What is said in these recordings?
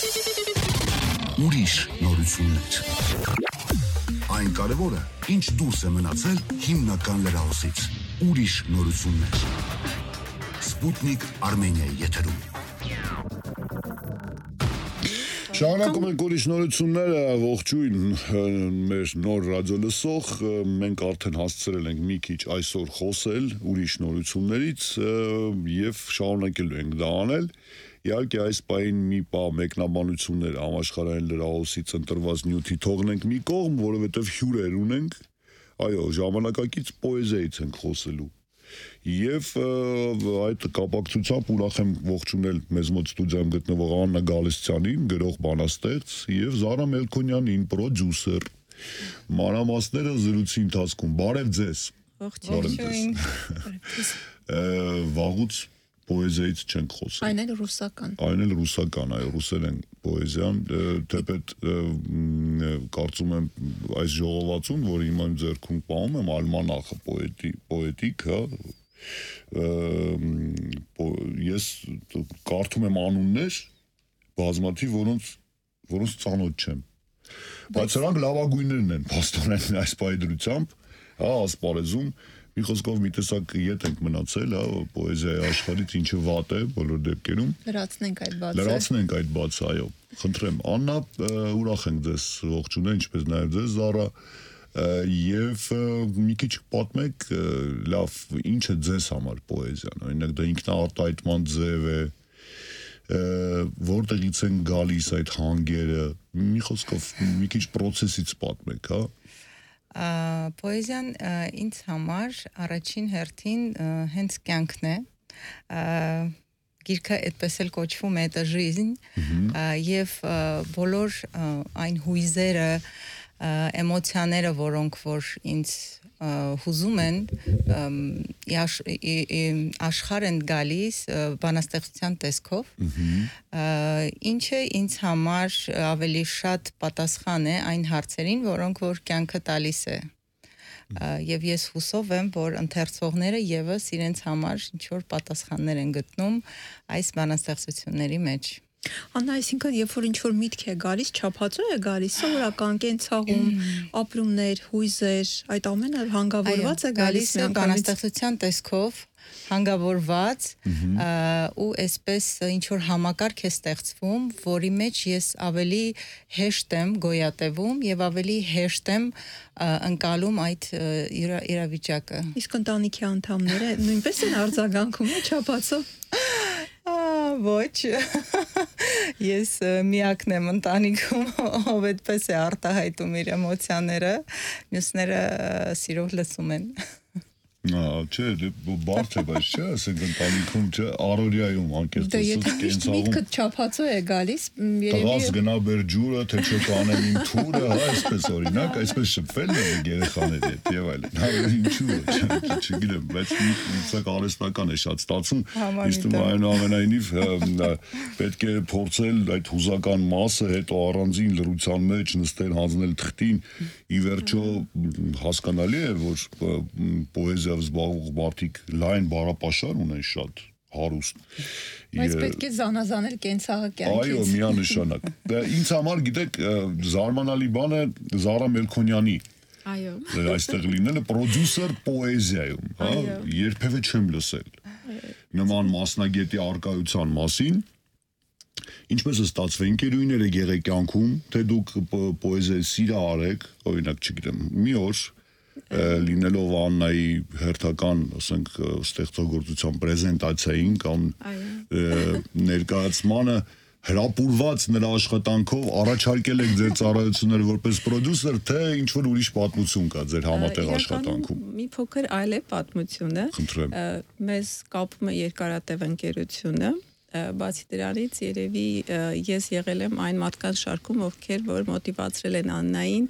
Ուրիշ նորություններ։ Այն կարևորը, ինչ դուրս է մնացել հիմնական լրահոսից։ Ուրիշ նորություններ։ Սպուտնիկ Արմենիայի եթերում։ Շարունակում ենք ուրիշ նորությունները, ողջույն մեր նոր ռադիոլսող, մենք արդեն հասցրել ենք մի քիչ այսօր խոսել ուրիշ նորություններից եւ շարունակելու ենք դա անել։ Իհարկե այս պահին մի պահ մեկնաբանություններ համաշխարհային լրահոսից ընտրված նյութի թողնենք մի կողմ, որովհետեւ հյուրեր ունենք, այո, ժամանակակից պոեզիայից ենք խոսելու։ Եվ այդ կապակցությամբ ուրախ եմ ողջունել մեզ մոտ ստուդիայում գտնվող Աննա Գալստյանին, գրող բանաստեղծ, եւ Զարա Մելքոնյանին, պրոդյուսեր։ Մանրամասները զրույցի ընթացքում։ Բարև ձեզ։ Ողջույն։ Վաղուց պոեզիայից չենք խոսել։ Այն էլ ռուսական։ Այն էլ ռուսական, այո, ռուսերեն պոեզիան, թեպետ կարծում եմ այս ժողովածուն, որ հիմա իմ ձեռքում պահում եմ, ալմանախը պոետիկ, հա, ես կարդում եմ անուններ, բազմաթիվ, որոնց ծանոթ չեմ, բայց սրանք լավագույններն են, փաստորեն այս պայդրությամբ, հա, ասպարեզում, մի խոսքով մի տեսակ ետ ենք մնացել, հա, պոեզիայի աշխարհից ինչը վատ է բոլոր դեպքերում։ Լրացնենք այդ բացը, այո։ Խնդրեմ, Աննա, ուրախ ենք ձեզ ողջունել, ինչպես նաև ձեզ, Զարա, եւ մի քիչ պատմեք, լավ, ինչ է ձեզ համար պոեզիան, օրինակ դա ինքնաարտահայտման ձև է, որտեղից են գալիս այդ հանգերը, մի խոսքով մի քիչ process-ից պատմեք, հա։ Պոեզիան ինձ համար առաջին հերթին հենց կյանքն է, գիրքը այդպես էլ կոչվում է «Это жизнь», եւ բոլոր այն հույզերը, էմոցիաները, որոնք որ ինձ հուզում են, աշխարհ են գալիս բանաստեղծության տեսքով, ինչը ինձ համար ավելի շատ պատասխան է այն հարցերին, որոնք որ կյանքը տալիս է։ Եվ ես հուսով եմ, որ ընթերցողները եւս իրենց համար ինչ-որ պատասխաններ են գտնում այս բանաստեղծությունների մեջ։ Աննա, այսինքն, երբ որ ինչ-որ միտք է գալիս, չափածո է գալիս, սովորական կենցաղում, ապրումներ, հույզեր, այդ ամենը հանգավորված է գալիս բանաստեղծության տեսքով, հանգավորված, ու այսպես ինչ-որ համակարգ է ստեղծվում, որի մեջ ես ավելի հեշտ եմ գոյատևում եւ ավելի հեշտ եմ ընկալում այդ իրավիճակը։ Իսկ ընտանիքի անդամները նույնպես են արձագանքում չափածո։ Ոչ, ես միակն եմ ընտանիքում, ով այդպես է արտահայտում իր էմոցիաները, մյուսները սիրով լսում են։ Չէ, բարդ է, բայց չէ, ասենք ընտանիքում չէ, առօրյայում անկեղծ եթե միշտ միտքդ չափածո է գալիս, տղաս գնա բեր ջուրը, թե չէ կանեմ իմ թուրը, հա, այսպես օրինակ, այսպես շփվել են երեխաների հետ եւ այլն։ Հա, ինչու՞ չգիտեմ, բայց ինձ արհեստական է շատ ստացվում, իսկ այնուամենայնիվ պետք է փորձել այդ հուզական մասը հետո առանձին լրության մեջ նստել, հանձնել թղթին, ի վերջո հասկանալի է, որ պոեզիայով զբաղվող մարդիկ լայն բառապաշար ունեն շատ հարուստ։ Բայց պետք է զանազանել կենցաղը կյանքից։ Այո, միանշանակ։ Ինձ համար, գիտեք, զարմանալի բան է Զարա Մելքոնյանի Այո։ Այստեղ լինելը պրոդյուսեր պոեզիայում, հա, երբևէ չեմ լսել նման մասնագետի առկայության մասին։ Ինչպես է ստացվել, ընկերուհիները եղեք կյանքում, թե դուք պոեզիայի սիրահար արեք, օրինակ, չգիտեմ, մի օր լինելով Աննայի հերթական, ասենք, ստեղծագործության պրեզենտացիային կամ ներկայացմանը հրապուրված նրա աշխատանքով առաջարկել եք ձեր ծառայությունները որպես պրոդյուսեր, թե ինչ-որ ուրիշ պատմություն կա ձեր համատեղ աշխատանքում։ Մի փոքր այլ է պատմությունը։ Խնդրեմ։ Մեզ կապում է երկարատև ընկերությունը, բացի դրանից երևի ես եղել եմ այն մարդկանց շարքում, ովքեր որ մոտիվացրել են Աննային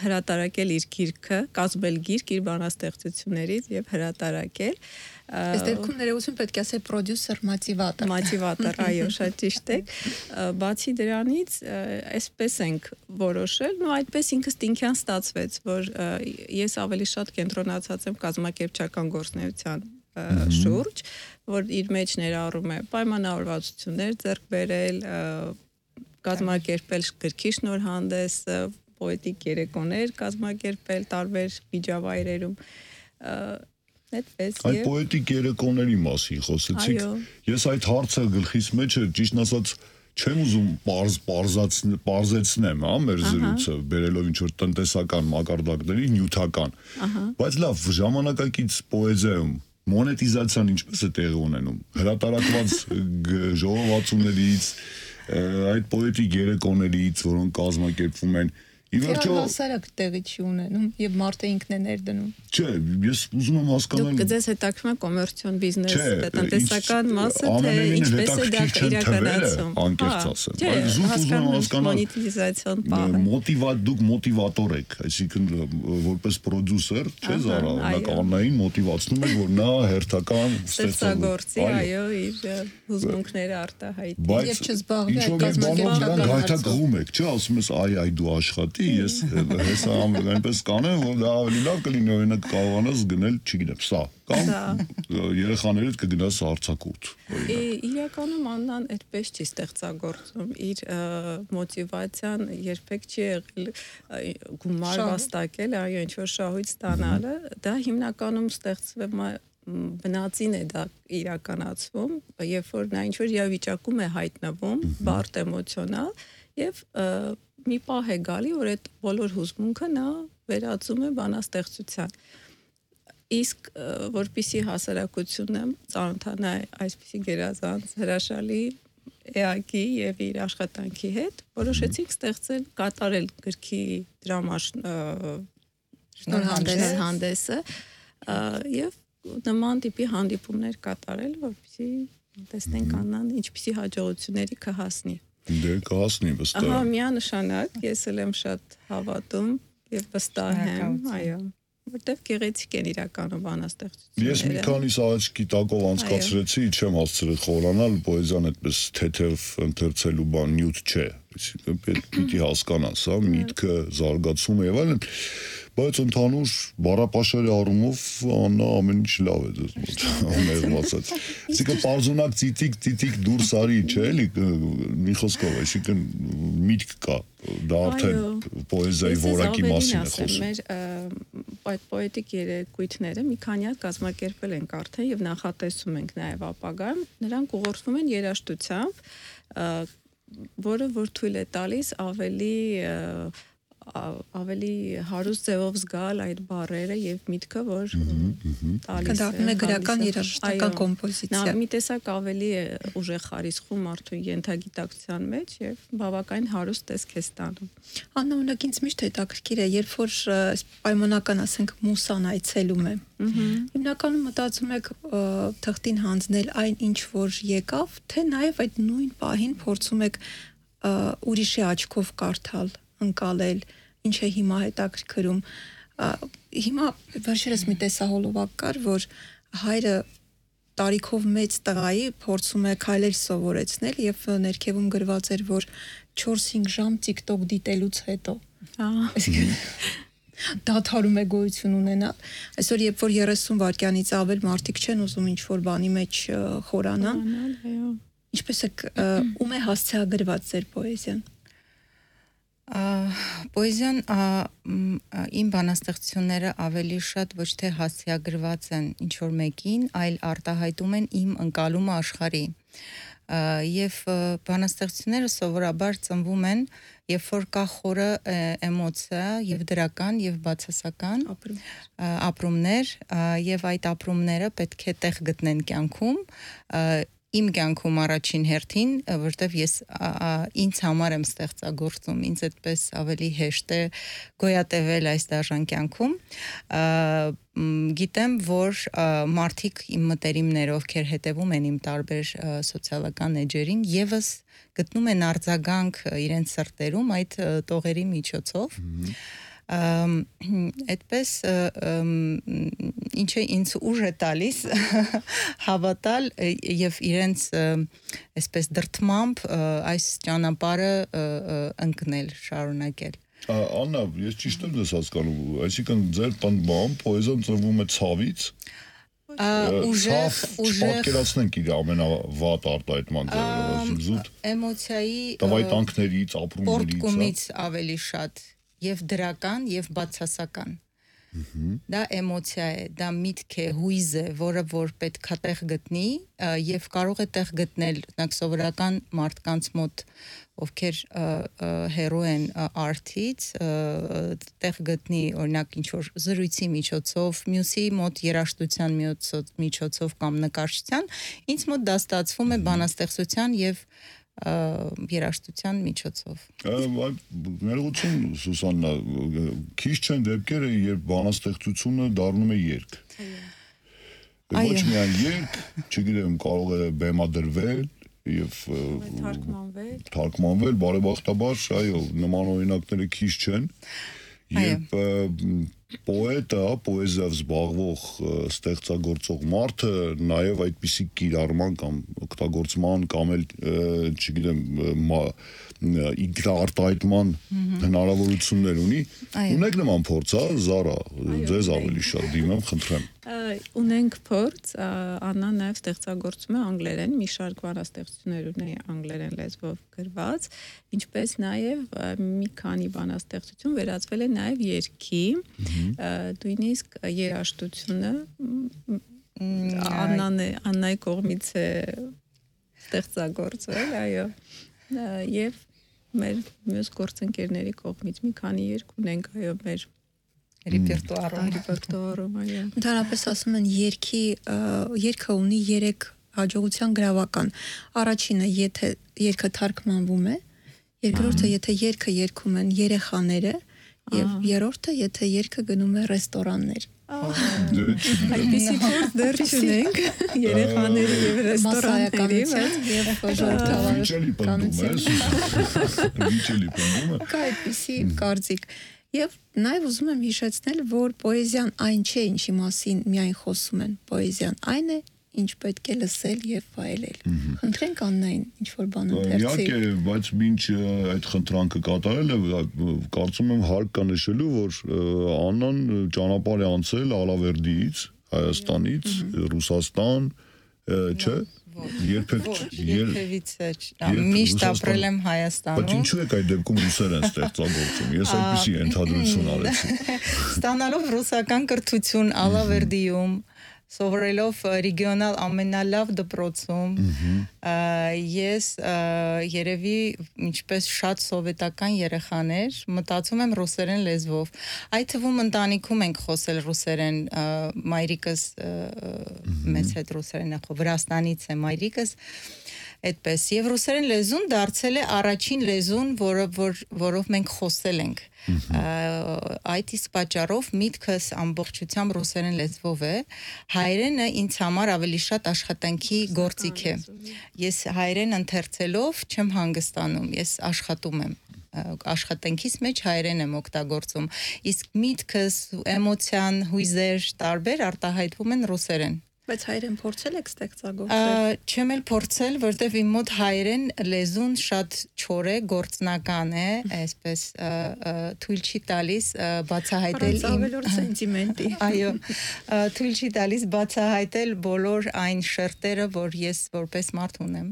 հրատարակել իր գիրքը, կազմել գիրք իր բանաստեղծություններից եւ հրատարակել։ Այս դեպքում ներողություն պետք է ասել պրոդյուսեր մոտիվատոր, այո, շատ ճիշտ է։ Բացի դրանից, այսպես ենք որոշել, ու այդպես ինքնին ստացվեց, որ ես ավելի շատ կենտրոնացած եմ կազմակերպչական գործունեության շուրջ, որ իր մեջ ներառում է պայմանավորվածություններ ձեռք բերել, կազմակերպել գրքի շնորհանդես, պոետիկ երեկոներ կազմակերպել տարբեր միջավայրերում, այդպես Այդ պոետիկ երեկոների մասին խոսեցիք։ Ես այդ հարցը գլխիս մեջ էր, ճիշտ ասած, չեմ ուզում պարզեցնեմ, մեր զրույցը, բերելով ինչ-որ տնտեսական մակարդակների նյութական, բայց լավ, ժամանակակից պոեզիայում մոնետիզացիան ինչպես է տեղի ունենում, հրատարակված ժողովածուներից, այդ պոետիկ երեկոներից, որոնք կազմակերպվում են, հասարակ տեղի չի ունենում եւ մարդը ինքն է ներդնում։ Չէ, ես ուզում եմ հասկանալ։ Դուք ձեզ հետաքրքրում է կոմերցիոն բիզնես, տնտեսական մասը, թե ինչպես է դա իրականացում։ Անկեղծ ասեմ, բայց զուտ ուզում եմ հասկանալ մոնետիզացիոն պահը։ Դուք մոտիվատոր եք, այսինքն որպես պրոդյուսեր, չէ՞ Զարա, Աննային մոտիվացնում եք, որ նա հերթական ստեղծագործի, այո, իր հուզմունքները արտահայտի։ Եվ չզբաղվի այդ կազմակերպական հայտակղում եք, չէ՞, ասում ես այ դու աշխատի, ես հեսա այնպես կանեմ, որ դա ավելի լավ կլինի, օրինակ կարողանաս գնել, չգիտեմ, սա, կամ երեխաներիդ կգնաս արձակուրդ։ Իրականում Աննան այդպես չի ստեղծագործում, իր մոտիվացիան երբեք չի եղել գումար վաստակել, այո, ինչ-որ շահույթ ստանալը, դա հիմնականում ստեղծվում է բնածին է դա իրականացվում, երբ որ նա ինչ-որ իրավիճակում է հայտնվում, բարդ էմոցիոնալ, եւ մի պահ է գալի, որ այդ բոլոր հուզմունքը նա վերածում է բանաստեղծության։ Իսկ որպիսի հասարակությունը ծանոթանա այսպիսի գերազանց հրաշալի էակի եւ իր աշխատանքի հետ, որոշեցինք ստեղծել, կատարել գրքի շնորհանդեսը եւ նման տիպի հանդիպումներ կատարել, որպեսզի տեսնենք Աննան ինչպիսի հաջողությունների կհասնի։ Դե կհասնի վստահ։ Ահա միանշանակ, ես էլ եմ շատ հավատում եւ վստահ եմ, այո, որտեվ գեղեցիկ են իրականում բանաստեղծությունները։ Ես մի քանի սաղաչքի տակով անցկացրեցի, չեմ հասցրել խորանալ, պոեզիան այդպես թեթև ընթերցելու բան նյութ չէ։ Պիտի հասկանաս, հա, միտքը, զարգացումը եւ այլն։ Բայց ընդհանուր բառապաշարի առումով Աննա ամեն ինչ լավ է դες մոտ ամերմացած։ Այսինքն պարզունակ ծիտիկ դուրս արի, չէ՞ էլի մի խոսքով, այսինքն միտք կա, դա արդեն պոեզիայի որակի մասին է խոսում։ Մեր այդ պոետիկ երեկույթները մի քանի հատ կազմակերպել ենք արդեն եւ նախատեսում ենք նաեւ ապագայում, նրանք ուղղորդվում են երաժշտությամբ, որը որ թույլ է տալիս ավելի հարուստ ձևով զգալ այդ բառերը եւ միտքը, որ տալիս է։ Կդառնում է գրական երաժշտական կոմպոզիցիա։ Նա մի տեսակ ավելի ուժեղ խարիսխում մարդու ենթագիտակցության մեջ եւ բավականին հարուստ տեսք է ստանում։ Աննա, օրինակ ինձ միշտ հետաքրքիր է, երբ որ պայմանական, ասենք, մուսան այցելում է։ Հիմնականում մտածում եք թղթին հանձնել այն ինչ որ եկավ, թե նաեւ այդ նույն պահին փորձում եք ուրիշի աչքով կարդալ, ընկալել, ինչ է հիմա հետաքրքրում։ Հիմա վերջերս մի տեսահոլովակ կար, որ հայրը տարիքով մեծ տղայի փորձում է քայլեր սովորեցնել եւ ներքևում գրված էր, որ 4-5 ժամ TikTok դիտելուց հետո։ Դադարում է գոյություն ունենալ։ Այսօր երբ որ 30 վայրկյանից ավել մարդիկ չեն ուզում ինչ-որ բանի մեջ խորանան։ Ինչպես է ում է հասցեագրված ձեր պոեզիան։ Պոեզիան իմ բանաստեղծությունները ավելի շատ ոչ թե հասցեագրված են ինչ-որ մեկին, այլ արտահայտում են իմ ընկալումը աշխարհի։ Եվ բանաստեղծությունները սովորաբար ծնվում են, երբ որ կա խորը էմոցիա եւ դրական եւ բացասական ապրումներ, եւ այդ ապրումները պետք է տեղ գտնեն կյանքում, իմ կյանքում առաջին հերթին, որտեվ ես ինձ համար եմ ստեղծագործում, ինձ այդպես ավելի հեշտ է գոյատևել այս դաժան կյանքում, գիտեմ, որ մարդիկ իմ մտերիմներ, ովքեր հետևում են իմ տարբեր սոցիալական էջերին, եւս գտնում են արձագանք իրենց սրտերում այդ տողերի միջոցով, այդպես ինչը ինձ ուժ է տալիս հավատալ եւ իրենց այսպես դրթմամբ այս ճանապարհը ընկնել, շարունակել։ Աննա, ես ճիշտ եմ դες հասկանում, այսինքն ձեր տան բան պոեզիան ծնվում է ցավից։ ուժեղ պատկերացնենք իր ամենավատ արտահայտման ձևերը, զուտ էմոցիայի տվայտանքներից, ապրումներից, պորտկումից ավելի շատ եւ դրական եւ բացասական։ Դա էմոցիա է, դա միտք է, հույզ է, որը որ պետք է տեղ գտնի եւ կարող է տեղ գտնել օրինակ սովորական մարդկանց մոտ, ովքեր հերո են արտից, տեղ գտնի օրինակ ինչ որ զրույցի միջոցով, մյուսի մոտ երաժշտության միջոցով կամ նկարչության, ինձ մոտ դա ստացվում է բանաստեղծության եւ երաժշտության միջոցով։ Ներողություն Սուսաննա, քիչ չեն դեպքերը, երբ բանաստեղծությունը դառնում է երգ։ Ոչ միայն երգ, չգիտեմ, կարող է բեմադրվել եւ թարգմանվել, բարեբախտաբար, այո, նման օրինակները քիչ չեն։ Երբ պոետը, պոեզիայով զբաղվող ստեղծագործող մարդը նաև այդպիսի կիրառման կամ օգտագործման կամ էլ, չգիտեմ, արտահայտման հնարավորություններ ունի, ունեք նման փորձ, Զարա, ձեզ ավելի շատ դիմեմ, խնդրեմ։ Ունենք փորձ, Աննան նաև ստեղծագործում է անգլերեն, մի շարք բանաստեղծություններ ունի անգլերեն լեզվով գրված, ինչպես նաև մի քանի բանաստեղծություն վերածվել է նաև երգի, նույնիսկ երաժշտությունը Աննայի կողմից է ստեղծագործվել, այո, եւ մեր մյուս գործընկերների կողմից մի քանի երգ ունենք, այո, մեր ռեպերտուարում, այո։ Ընդհանրապես ասում են երգը ունի 3 հաջողության գրավական։ Առաջինը, եթե երգը թարգմանվում է, երկրորդը, եթե երգը երգում են երեխաները, եւ երրորդը, եթե երգը գնում է ռեստորաններ։ Այդպիսի փորձ դեռ չունենք երեխաների եւ ռեստորանների, եւ ժողովրդավարական Կա այդպիսի կարծիք։ Եվ նաև ուզում եմ հիշեցնել, որ պոեզիան այն չէ, ինչի մասին միայն խոսում են։ Պոեզիան այն է, ինչ պետք է լսել եւ վայելել։ Խնդրենք Աննային ինչ-որ բան ընթերցի։ Իհարկե, բայց մինչ այդ խնդրանքը կատարել է, կարծում եմ հարկ կա նշելու, որ Աննան ճանապարհ է անցել Ալավերդիից, Հայաստանից, Ռուսաստան, չէ՞։ Երբևիցե միշտ ապրել եմ Հայաստանում։ Բայց ինչու եք այդ դեպքում ռուսերեն ստեղծագործում։ Ես այդպիսի ընդհանրություն արեցի։ Ստանալով ռուսական կրթություն Ալավերդիում, սովորելով ռեգիոնալ ամենալավ դպրոցում, ես երևի ինչպես շատ սովետական երեխաներ մտածում եմ ռուսերեն լեզվով։ Այդ թվում ընտանիքում ենք խոսել ռուսերեն, մայրիկս մեծ հետ ռուսերեն է խոսում, Վրաստանից է մայրիկս, այդպես եւ ռուսերեն լեզուն դարձել է առաջին լեզուն, որով մենք խոսել ենք։ Այդ իսկ պատճառով միտքս ամբողջությամբ ռուսերեն լեզվով է, հայերենը ինձ համար ավելի շատ աշխատանքի գործիք է։ Ես հայերեն ընթերցելով չեմ հանգստանում, ես աշխատում եմ։ Աշխատանքիս մեջ հայերեն եմ օգտագործում, իսկ միտքս, էմոցիան, հույզեր տարբեր արտահայտվում են ռուսերեն։ Բայց հայերեն փորձել եք ստեղծագործել։ Չեմ էլ փորձել, որտեվ իմ մոտ հայերեն լեզուն շատ չոր է, գործնական է, այսպես թույլ չի տալիս բացահայտել իմ ավելորդ սենտիմենտի։ Այո, թույլ չի տալիս բացահայտել բոլոր այն շերտերը, որ ես որպես մարդ ունեմ։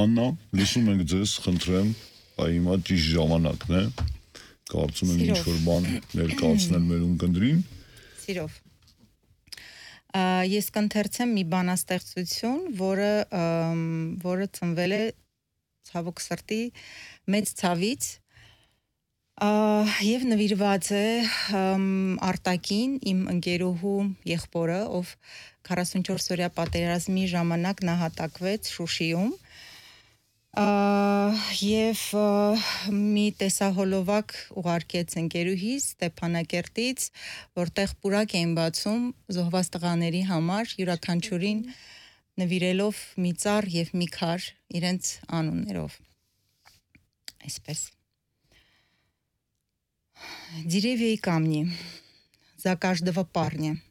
Աննա, լսում ենք ձեզ, խնդրեմ, հիմա ճիշտ ժամանակն է։ Կարծում եմ ինչ-որ բան ներկայացնել մեր ունկնդրին։ Սիրով։ Ես կընթերցեմ մի բանաստեղծություն, որը ծնվել է ցավոք սրտի մեծ ցավից եւ նվիրված է Արտակին, իմ ընկերուհու եղբորը, ով 44-օրյա պատերազմի ժամանակ նահատակվեց Շուշիում եւ մի տեսահոլովակ ուղարկեց ընկերուհիս Ստեփանակերտից, որտեղ պուրակ էին բացում զոհված տղաների համար, յուրաքանչյուրին նվիրելով մի ծառ եւ մի քար իրենց անուններով։ Այսպես. Деревья и камни за каждого парня.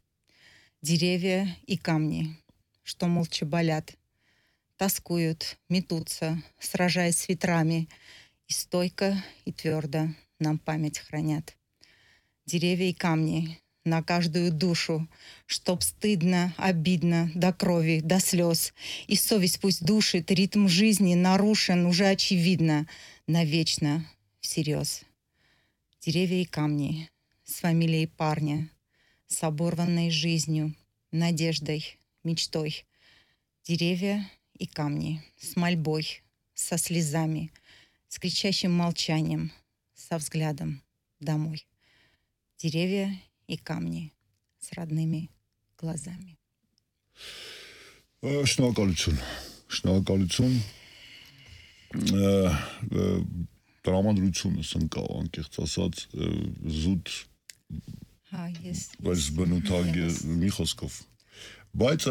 Деревья и камни, что молча болят. Тоскуют, метутся, сражаясь с ветрами, и стойко, и твердо нам память хранят. Деревья и камни на каждую душу, чтоб стыдно, обидно, до крови, до слез. И совесть пусть душит, ритм жизни нарушен, уже очевидно, навечно, всерьез. Деревья и камни, с фамилией парня, с оборванной жизнью, надеждой, мечтой. Деревья и камни, с мольбой, со слезами, с кричащим молчанием, со взглядом домой. Деревья и камни с родными глазами. Շնորհակալություն տրամադրությունս ընկավ անկեղծ ասած զուտ բայց բնութագ մի խոսքով բայց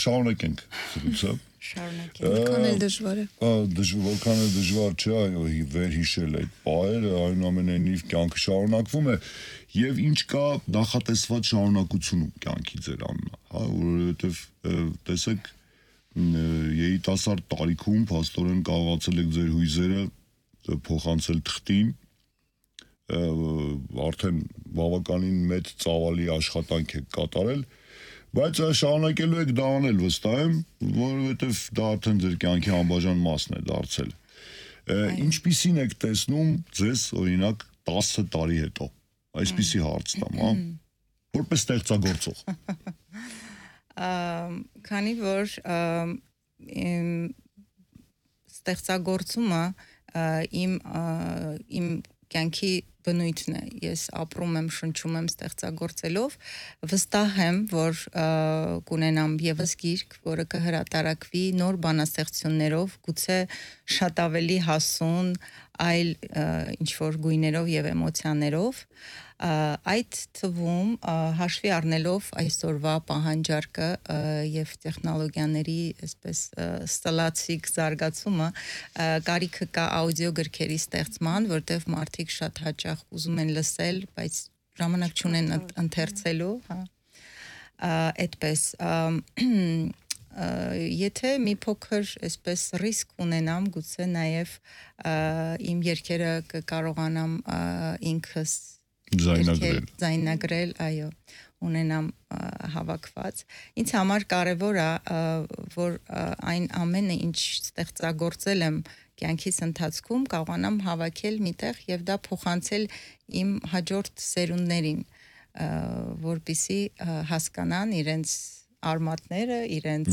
շարունակենք զրույցը Որքան էլ դժվար է։ Որքան էլ դժվար չէ, այո, վերհիշել այդ պահերը, այնուամենայնիվ կյանքը շարունակվում է եւ ինչ կա նախատեսված շարունակությունում կյանքի ձեր անունը, հա, որովհետեւ տեսեք երիտասարդ տարիքում փաստորեն կարողացել եք ձեր հույզերը փոխանցել թղթին, արդեն բավականին մեծ ծավալի աշխատանք եք կատարել, բայց շարունակելու եք դա անել վստահ եմ, որովհետև դա արդեն ձեր կյանքի անբաժան մասն է դարձել։ Ինչպիսին եք տեսնում ձեզ օրինակ 10 տարի հետո, այսպիսի հարց տամ, հա, որպես ստեղծագործող։ Քանի որ ստեղծագործումը իմ կյանքի բնույթն է, ես ապրում եմ, շնչում եմ ստեղծագործելով, վստահ եմ, որ կունենամ եւս գիրք, որը կհրատարակվի նոր բանաստեղծություններով, գուցե շատ ավելի հասուն, այլ ինչ-որ գույներով եւ էմոցիաներով, այդ թվում հաշվի առնելով այսօրվա պահանջարկը եւ տեխնոլոգիաների այսպես ստլացիկ զարգացումը կարիքը կա աուդիո գրքերի ստեղծման, որտեղ մարդիկ շատ հաճախ ուզում են լսել, բայց ժամանակ չունեն ընթերցելու, հա, այդպես եթե մի փոքր այսպես ռիսկ ունենամ, գուցե նաեւ իմ երգերը կկարողանամ ինքս Ձայնագրել, այո, ունենամ հավաքված։ Ինձ համար կարևոր է, որ այն ամենը, ինչ ստեղծագործել եմ կյանքիս ընթացքում, կարողանամ հավաքել միտեղ եւ դա փոխանցել իմ հաջորդ սերունդներին, որպեսզի հասկանան իրենց արմատները, իրենց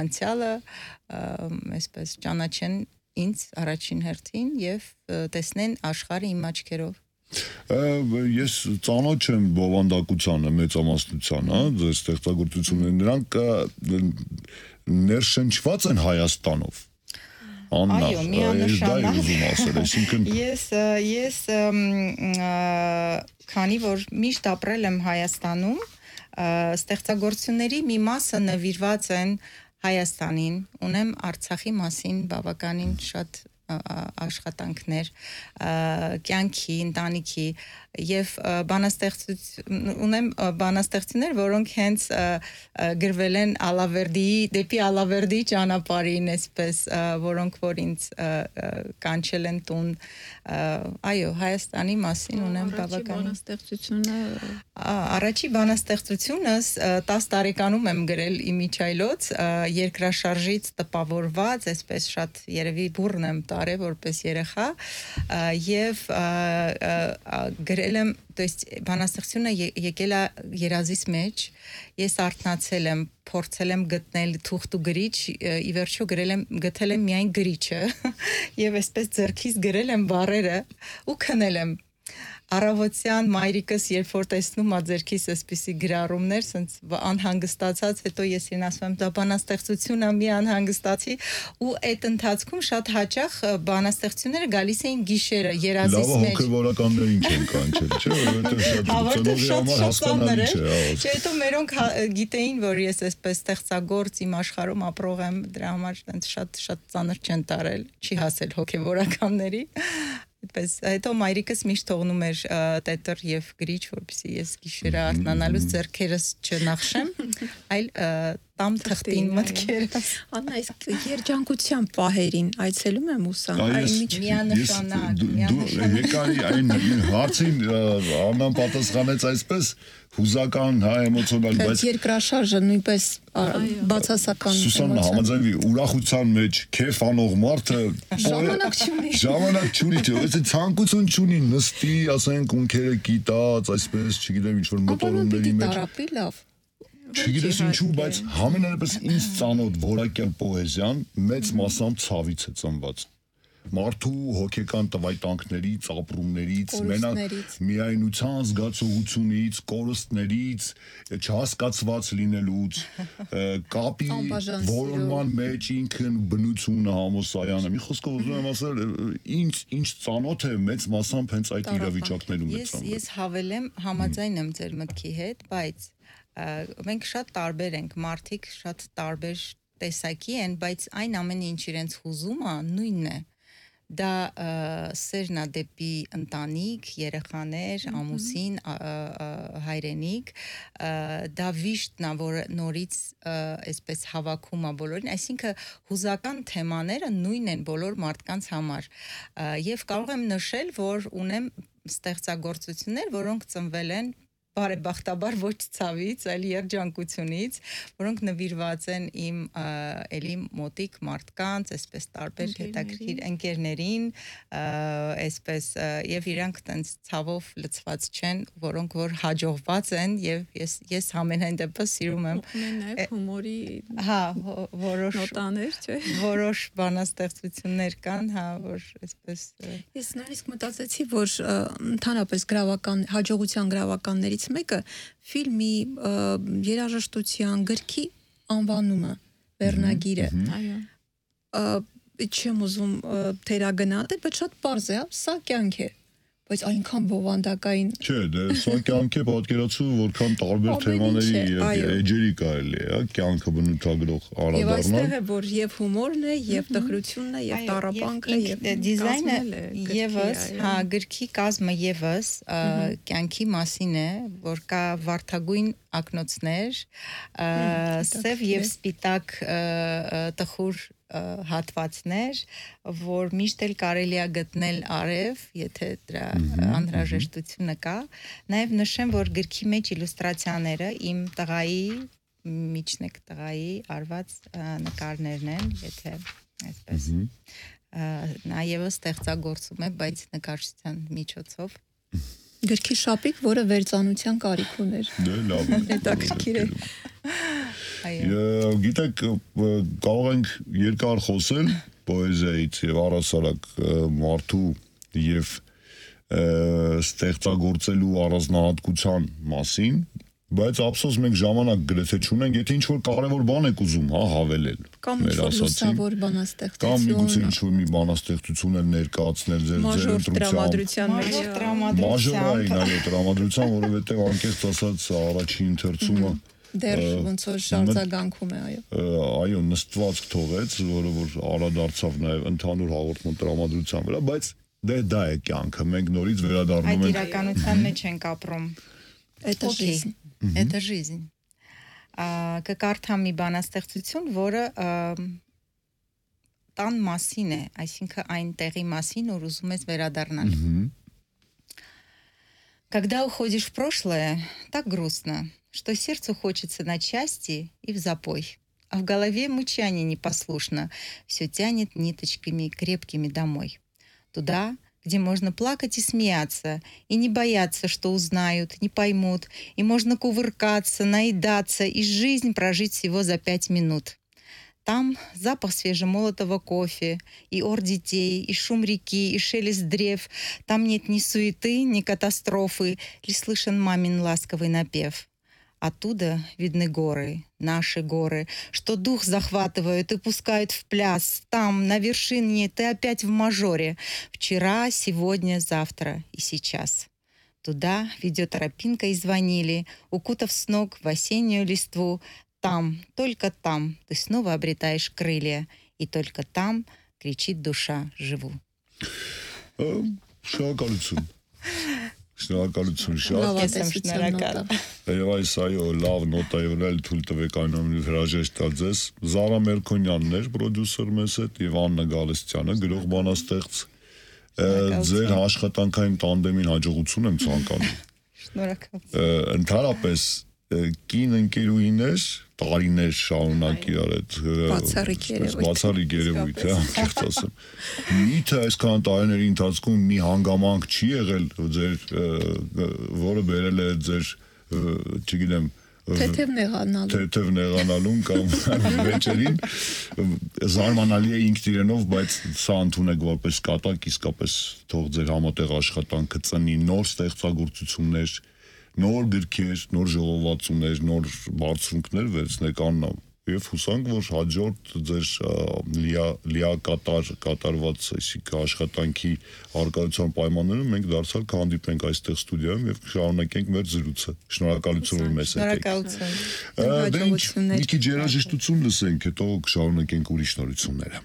անցյալը, այսպես ճանաչեն ինձ առաջին հերթին եւ տեսնեն աշխարհը իմ աչքերով։ Ես ծանոթ եմ բովանդակությանը, մեծամասնության, հա, ձեր ստեղծագործությունները, նրանք ներշնչված են Հայաստանով։ Այո, միանշանակ։ Ես քանի որ միշտ ապրել եմ Հայաստանում, ստեղծագործությունների մի մասը նվիրված են Հայաստանին, ունեմ Արցախի մասին բավականին շատ աշխատանքներ, կյանքի, ընտանիքի եւ ունեմ բանաստեղծություններ, որոնք հենց գրվել են դեպի Ալավերդի ճանապարհին, այսպես, որոնք որ ինձ կանչել են տուն, այո, Հայաստանի մասին ունեմ բավական բանաստեղծությունը։ Առաջի բանաստեղծությունս 10 տարեկանում եմ գրել իմիջայլոց, երկրաշարժից տպավորված, այսպես շատ երևի բուռն եմ տարել որպես երեխա եւ գրել եմ, то есть բանաստեղծությունը եկել է երազիս մեջ, ես արթնացել եմ, փորձել եմ գտնել թուղթ ու գրիչ, ի վերջո գտել եմ միայն գրիչը եւ այսպես ձեռքից գրել եմ բառերը ու քնել եմ։ Առավոտյան մայրիկս երբ որ տեսնում ա ձերքիս այսպիսի գրառումներ, ասենց անհանգստացած, հետո ես իրեն ասում եմ դա բանաստեղծություն ա, մի անհանգստացի ու այդ ընթացքում շատ հաճախ բանաստեղծությունները գալիս էին գիշերը երազիս մեջ։ Լավ հոգեվորականներին չեն կանչել, չէ՞, որովհետև շատ հասկանալի չէ։ Չէ, հետո մերոնք գիտեին, որ ես այսպես ստեղծագործ իմ աշխարհում ապրող եմ, դրա համար շատ ծանր չեն տարել, չի հասել հոգեվորականների։ Այդպես հետո մայրիկս միշտ թողնում էր տետր եւ գրիչ, որպեսզի ես գիշերը արթնանալուց ձեռքերս չնախշեմ, այլ տամ թղթին մտքերը։ Աննա, իսկ երջանկության պահերին այցելում եմ ուսան, Միանշանակ։ Եկարի այն հարցին Աննան պատասխանեց այսպես հուզական, էմոցիոնալ, բայց երկրաշարժը նույնպես բացասական Սուսաննա համաձայնվի, ուրախության մեջ քեֆ անող մարդը ժամանակ չունի, այս ցանկություն չունի, նստի, ասենք ունքերը կիտած, այսպես, չգիտեմ, ինչ որ մոտորումների մեջ։ Չգիտես ինչու, բայց համենայնպես ինձ ծանոթ որակյալ պոեզիան մեծ մասամբ ցավից է ծնված։ Մարդու հոգեկան տվայտանքներից, ապրումներից, մենակ միայնության զգացողությունից, կորստներից, չհասկացված լինելուց, կապի որոնման մեջ ինքն բնությունը համոսայանը։ Մի խոսքով ուզում եմ ասել, ինչ ծանոթ է մեծ մասամբ հենց այդ իրավիճակներում է ծնվել։ Ես հավելեմ, համաձայն եմ ձեր մտքի հետ, բայց մենք շատ տարբեր ենք, մարդիկ շատ տարբեր տեսակի են, բայց այն ամենը ինչ իրենց հուզում է, նույնն է։ Դա սերն է դեպի ընտանիք, երեխաներ, ամուսին, հայրենիք, դա վիշտն է, որ նորից այսպես հավաքում է բոլորին, այսինքն հուզական թեմաները նույնն են բոլոր մարդկանց համար։ Եվ կարող եմ նշել, որ ունեմ ստեղծագործություններ, որոնք ծնվել են բարեբախտաբար ոչ ցավից, այլ երջանկությունից, որոնք նվիրված են իմ էլի մոտիկ մարդկանց, այսպես տարբեր հետաքրքիր ընկերներին, այսպես եւ իրանք տենց ցավով լցված չեն, որոնք որ հաջողված են եւ ես ամենայն դեպս սիրում եմ նաեւ հումորի նոտաներ, չէ՞։ Որոշ բանաստեղծություններ կան, որ այսպես Ես նույնիսկ մտածեցի, որ ընդհանրապես հաջողության գրավականներից մեկը ֆիլմի երաժշտության գրքի անվանումը, վերնագիրը։ Այո։ Չեմ ուզում թերագնահատել, բայց շատ պարզ է, սա կյանք է, բայց այնքան բովանդակային։ Չէ, դե սա կյանք է, պատկերացու, որքան տարբեր թեմաների եւ էջերի կարելի է, կյանքը բնութագրող Եվ անդառնալ։ այստեղ է, որ եւ հումորն է, եւ տխրությունն է, եւ տառապանքը, եւ դիզայնը եւս, գրքի կազմը եւս կյանքի մասին է, որ կա վարդագույն ակնոցներ, սև եւ սպիտակ տխուր հատվածներ, որ միշտ էլ կարելի է գտնել արև, եթե դրա անհրաժեշտությունը կա։ Նաև նշեմ, որ գրքի մեջ իլյուստրացիաները իմ տղայի, միջնեկ տղայի արված նկարներն են, եթե այսպես նա եւս ստեղծագործում է, բայց նկարչության միջոցով։ Գրքի շապիկ, որը վերծանության կարիք ուներ։ Դե լավ է։ Հետաքրքիր է։ Գիտեք, կարող ենք երկար խոսել պոեզիայից եւ առասարակ մարդու եւ ստեղծագործելու առանձնահատկության մասին, բայց ափսոս մենք ժամանակ գրեթե չունենք, եթե ինչ-որ կարևոր բան եք ուզում, հավելել։ Կամ ինչ-որ լուսավոր բանաստեղծություն։ Կամ միգուցե ինչ-որ մի բանաստեղծություն էլ ներկայացնել ձեր տրամադրության մեջ։ Մաժորային, այո, տրամադրության, որովհետեւ անկեղծ ասած առաջին ընթերցումը դեռ ոնց որ շարժագանքում է, այո։ Այո, նստվածք թողեց, որը որ արադարձավ նաև ընդհանուր հաղորդման տրամադրության վրա, բայց դա է կյանքը, մենք նորից վերադառնում ենք։ Այդ իրականության մեջ ենք ապրում։ Это жизнь. Это жизнь. Կկարդամ մի բանաստեղծություն, որը տան մասին է, այսինքն այն տեղի մասին, որ ուզում ես վերադառնալ։ Когда уходишь в прошлое, так грустно, что сердцу хочется на части и в запой, а в голове мычание непослушно, все тянет ниточками крепкими домой. Туда, где можно плакать и смеяться, и не бояться, что узнают, не поймут, и можно кувыркаться, наедаться и жизнь прожить всего за 5 минут. Там запах свежемолотого кофе, и ор детей, и шум реки, и шелест древ. Там нет ни суеты, ни катастрофы, лишь слышен мамин ласковый напев. Оттуда видны горы, наши горы, что дух захватывают и пускают в пляс. Там, на вершине, ты опять в мажоре. Вчера, сегодня, завтра и сейчас. Туда ведет тропинка из ванили, укутав с ног в осеннюю листву. Там, только там ты снова обретаешь крылья, и только там кричит душа «Живу». Շնորհակալություն։ Շնորհակալություն շատ։ Լավատեսության նոտա։ Եվ այս այո, լավ նոտա եւ էլ թույլ տվեք այնուամենայնիվ հրաժեշտ տալ ձեզ։ Զարա Մերքոնյանն էր պրոդյուսեր մեզ հետ եւ Աննա Գալստյանը գրող բանաստեղծ։ Ձեր աշխատանքային տանդեմին հաջողություն եմ ցանկանում։ Շնորհակալություն։ Ընդհանրապես կին ընկերուհիներ տարիներ շարունակ իրար այդ բացառիկ երևույթ է, անկեղծ ասեմ։ Միթե այսքան տարիների ընթացքում մի հանգամանք չի եղել ձեր որը բերել է ձեր, չգիտեմ, թեթև նեղանալուն կամ վեճերին զարմանալի է ինքն իրենով, բայց սա ընդունեք որպես կատակ, իսկապես թող ձեր համատեղ աշխատանքը ծնի նոր ստեղծագործություններ, նոր գրքեր, նոր ժողովածուներ, նոր բարձունքներ վերցնեք Աննա եւ հուսանք, որ հաջորդ ձեր կատարված աշխատանքի արկայության պայմաններում մենք դարձյալ կհանդիպենք այստեղ ստուդիայում եւ շարունակենք մեր զրույցը։ Շնորհակալություն, որ մեզ հետ եք։ Շնորհակալություն։ Մի քիչ երաժշտություն լսենք, հետո կշարունակենք ուրիշ նորությունները։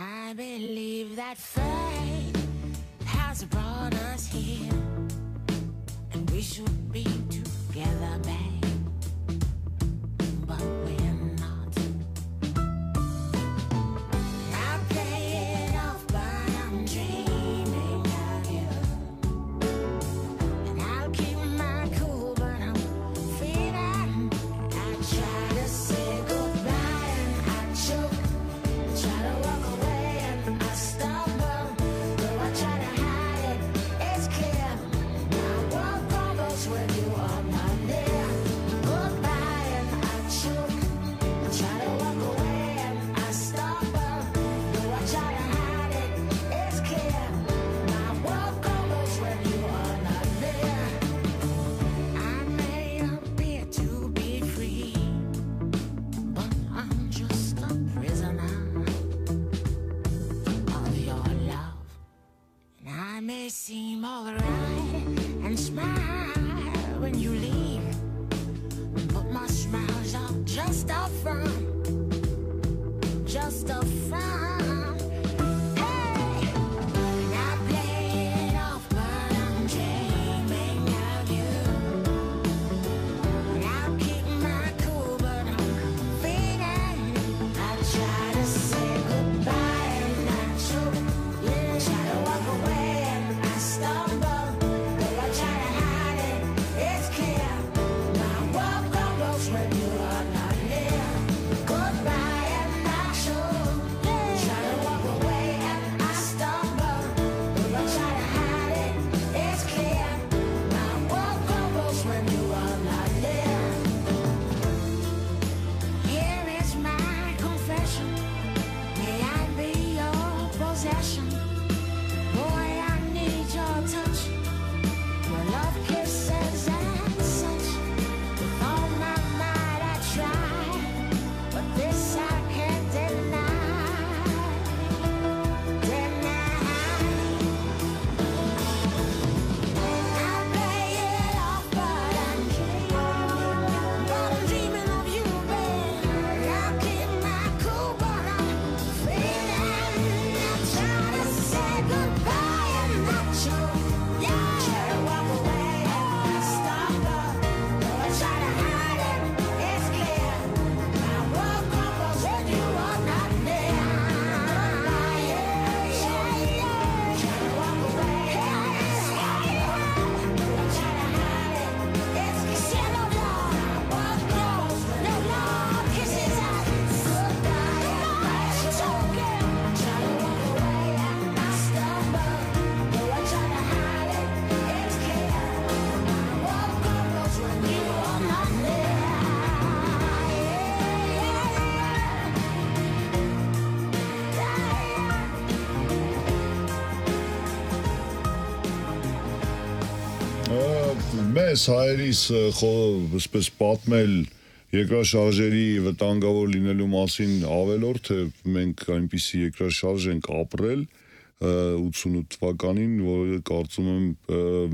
I believe that fate has brought us here, and we should be together, babe, but we're not. I play it off, but I'm dreaming of you, and I'll keep my cool, but I'm feeling. I try to say goodbye and I choke, I try to walk away and I stumble, though I try to hide it, it's clear. I walk on those when you are not near. Goodbye and I choke, I try to walk away and I stumble, though I try to hide it, it's clear. I walk on those when you are not near. I may appear to be free, but I'm just a prisoner of your love. And I may seem alright and smile when you leave, but my smiles are just a front, just a front. Hey, and I play it off, but I'm dreaming of you. And I'll keep my cool, but I'm feeling. I try to say goodbye and I choke, I try to walk away and I stumble, though I try to hide it, it's clear. My walk goes when you are not near. Goodbye and I choke, try to walk away and I stumble, though I try to hide it, it's clear. My walk goes when you are not near. Here is my confession. May I be your possession? Boy, I need your touch, your love, kisses and such. With all my might I try, but this I can't deny. I play it off, but I'm dreaming of you, babe. I'll keep my cool, but I'm feeling. I try to say goodbye and I choke, try to walk away and I stumble, though I try to hide it, it's clear. My walk goes when you are not near. Try to walk away and I stumble, though I try to hide it, it's clear. No love, walk goes, no love, kisses and goodbye and I choke. Try to walk away and I stumble, though I try to hide it, it's clear. My walk goes when you are not near. Մեզ հայերիս այսպես պատմել երկրաշարժերի վտանգավոր լինելու մասին ավելորդ է մենք այնպիսի երկրաշարժ ենք ապրել, 88 թվականին, որը կարծում եմ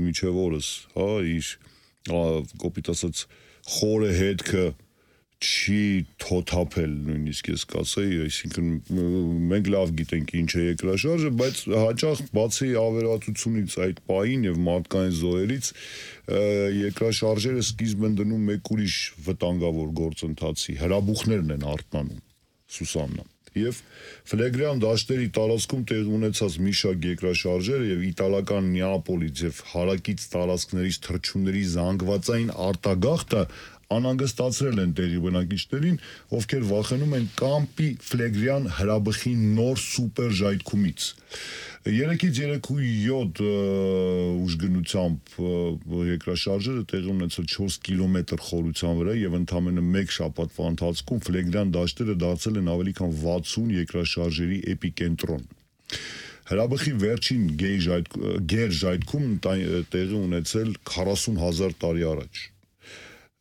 միջև օրս, հա, իր կոպիտ ասած խորը հետքը չի թոթափել նույնիսկ ես կասեի, այսինքն մենք լավ գիտենք ինչ է երկրաշարժը, բայց հաճախ բացի ավերածությունից այդ պահին եւ մարդկային զոհերից երկրաշարժերը սկիզբ են դնում մեկ ուրիշ վտանգավոր գործընթացի, հրաբուխներն են արթնանում, Սուսաննա։ Եվ Ֆլեգրյան դաշտերի տարածքում տեղի ունեցած մի շարք երկրաշարժերը եւ իտալական Նեապոլից եւ հարակից տարածքներից թռչունների զանգվածային արտագաղթը անհանգստացրել են տեղի բնակիչներին, ովքեր վախենում են Կամպի Ֆլեգրյան հրաբխի նոր սուպեր ժայթքումից։ 3-ից 3.7 ուժգնությամբ երկրաշարժերը տեղի ունեցել 4 կիլոմետր խորության վրա եւ ընդամենը 1 շաբաթվա ընթացքում Ֆլեգրյան դաշտերը դարձել են ավելի քան 60 երկրաշարժերի էպիկենտրոն։ Հրաբխի վերջին գեր ժայթքում տեղի ունեցել 40,000 տարի առաջ։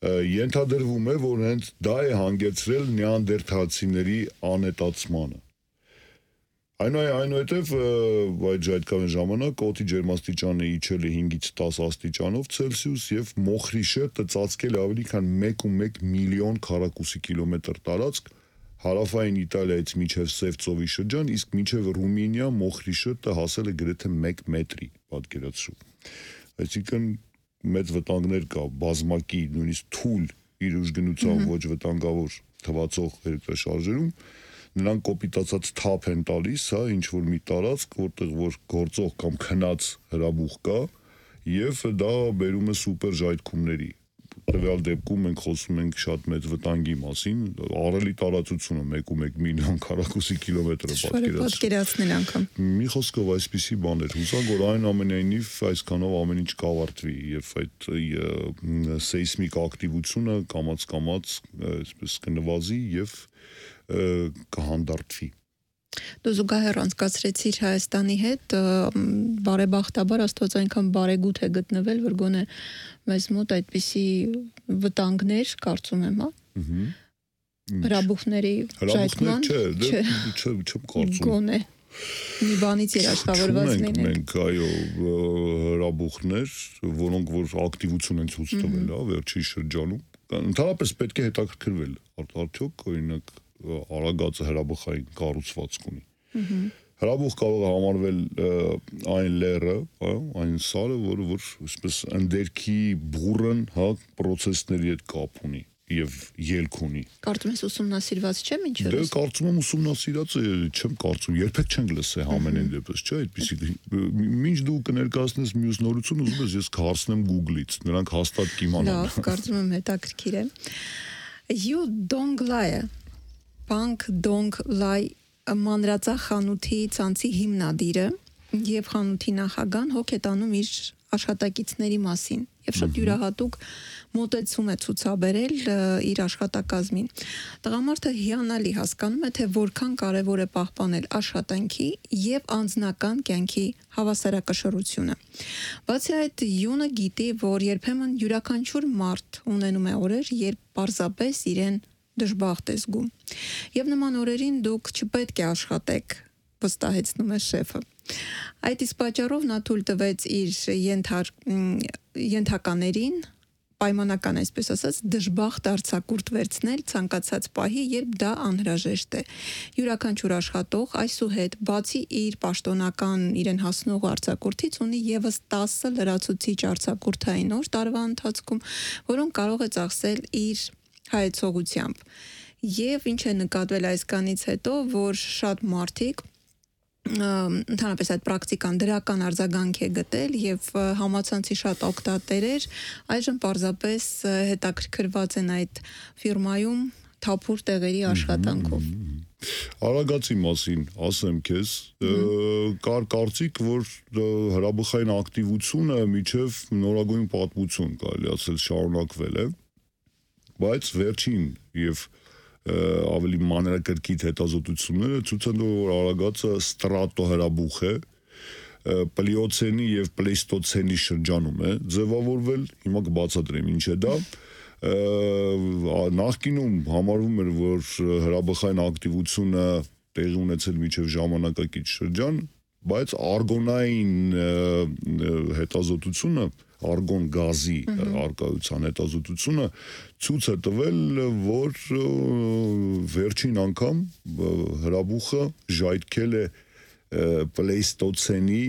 Ենթադրվում է, որ հենց դա է հանգեցրել նեանդերթալցիների անետացմանը։ Այնուհետև այդ ժայթքային ժամանակ օդի ջերմաստիճանը իջել է 5-ից 10 աստիճանով Ցելսիուս եւ մոխրի շերտը ծածկել ավելի քան 1.1 միլիոն քառակուսի կիլոմետր տարածք հարավային Իտալիայից մինչև Սև ծովի շրջան, իսկ մինչև Ռումինիա մոխրի շերտը հասել է գրեթե 1 մետրի, պատկերացրու։ Այսինքն մեծ վտանգներ կա բազմակի, նույնիսկ թույլ իր ուժգնությամբ ոչ վտանգավոր թվացող երկրաշարժերում, նրանք կոպիտացած թափ են տալիս, հա, ինչ որ մի տարածք, որտեղ որ գործող կամ քնած հրաբուխ կա, եւ դա բերում է սուպեր ժայթքումների։ Տվյալ դեպքում մենք խոսում ենք շատ մեծ վտանգի մասին, առելի տարածությունը 1.1 միլիոն քառակուսի կիլոմետրը պատկերացնել անգամ։ Մի խոսքով այսպիսի բաներ, հուսանք որ այն ամենայնիվ այսքանով ամեն ինչ կավարտվի եւ այդ սեյսմիկ ակտիվությունը կամաց այսպես կնվազի եւ կհանդարտվի։ Դու զուգահեռ անցկացրեցիր Հայաստանի հետ, բարեբախտաբար Աստված այնքան բարեգութ է գտնվել, որ գոնե մեզ մոտ այդպիսի վտանգներ, կարծում եմ, հա։ Հրաբուխների ժայթքման, չեմ կարծում։ Գոնե մի բանից երաշխավորված լինենք։ Մենք այո հրաբուխներ, որոնք որ ակտիվություն են ցույց տվել, հա, վերջի շրջանում։ Ընդհանրապես պետք է հետաքրքրվել, արդյոք օրինակ Արագածը հրաբխային կառուցվածք ունի։ Հրաբուխ կարող է համարվել այն լերը, այն սարը, որը որ այսպես ընդերքի բուրըն, հա, process-ների հետ կապ ունի եւ ելք ունի։ Կարծում ես ուսումնասիրված չէ ինչու՞։ Դե կարծում եմ ուսումնասիրած է, չեմ կարծում, երբեք չենք լսել ամենայն դեպս, չէ՞, այդպեսի։ Մինչ դու կներկայացնես մյուս նորություն, ուզում ես ես կհարցնեմ Google-ից, նրանք հաստատ կիմանան։ Լավ, կարծում եմ հետաքրքիր է։ You don't lie Bank Dong Lai մանրածախ խանութի ցանցի հիմնադիրը եւ խանութի նախագահան հոգ է տանում իր աշխատակիցների մասին եւ շատ յուրահատուկ մոտեցում է ցուցաբերել իր աշխատակազմին։ Տղամարդը հիանալի հասկանում է, թե որքան կարեւոր է պահպանել աշխատանքի եւ անձնական կյանքի հավասարակշռությունը։ Բացի այդ, Յունը գիտի, որ երբեմն յուրաքանչյուր մարդ ունենում է օրեր, երբ պարզապես իրեն դժբախտ է զգում։ Եվ նման օրերին դուք չպետք է աշխատեք, վստահեցնում է շեֆը։ Այդ իսկ պատճառով նա թույլ տվեց իր ենթականերին պայմանական այսպես ասած դժբախտ արձակուրդ վերցնել ցանկացած պահի, երբ դա անհրաժեշտ է։ Յուրաքանչյուր աշխատող այսուհետ բացի իր պաշտոնական իրեն հասնող արձակուրդից ունի եւս 10 լրացուցիչ արձակուրդային օր տարվա ընթացքում, որոնք կարող է ծախսել իր հայեցողությամբ։ Եվ ինչ է նկատվել այսքանից հետո, որ շատ մարդիկ ընդհանրապես այդ պրակտիկան դրական արձագանք է գտել եւ համացանցի շատ օգտատերեր այժմ պարզապես հետաքրքրված են այդ ֆիրմայում թափուր տեղերի աշխատանքով։ Արագածի մասին ասեմ քեզ, կար կարծիք, որ հրաբխային ակտիվությունը միջև նորագույն պատմություն կարելի ասել շարունակվել է, բայց վերջին եւ ավելի մանրակրկիտ հետազոտությունները ցույց են տվել, որ Արագածը ստրատո հրաբուխ է, պլիոցենի եւ պլեյստոցենի շրջանում է ձևավորվել, հիմա կբացատրեմ ինչ է դա։ Նախկինում համարվում էր, որ հրաբխային ակտիվությունը տեղի ունեցել միջև ժամանակակից շրջան, բայց արգոնային հետազոտությունը, արգոն գազի արկայության հետազոտությունը ցույց է տվել, որ վերջին անգամ հրաբուխը ժայթքել է պլեյստոցենի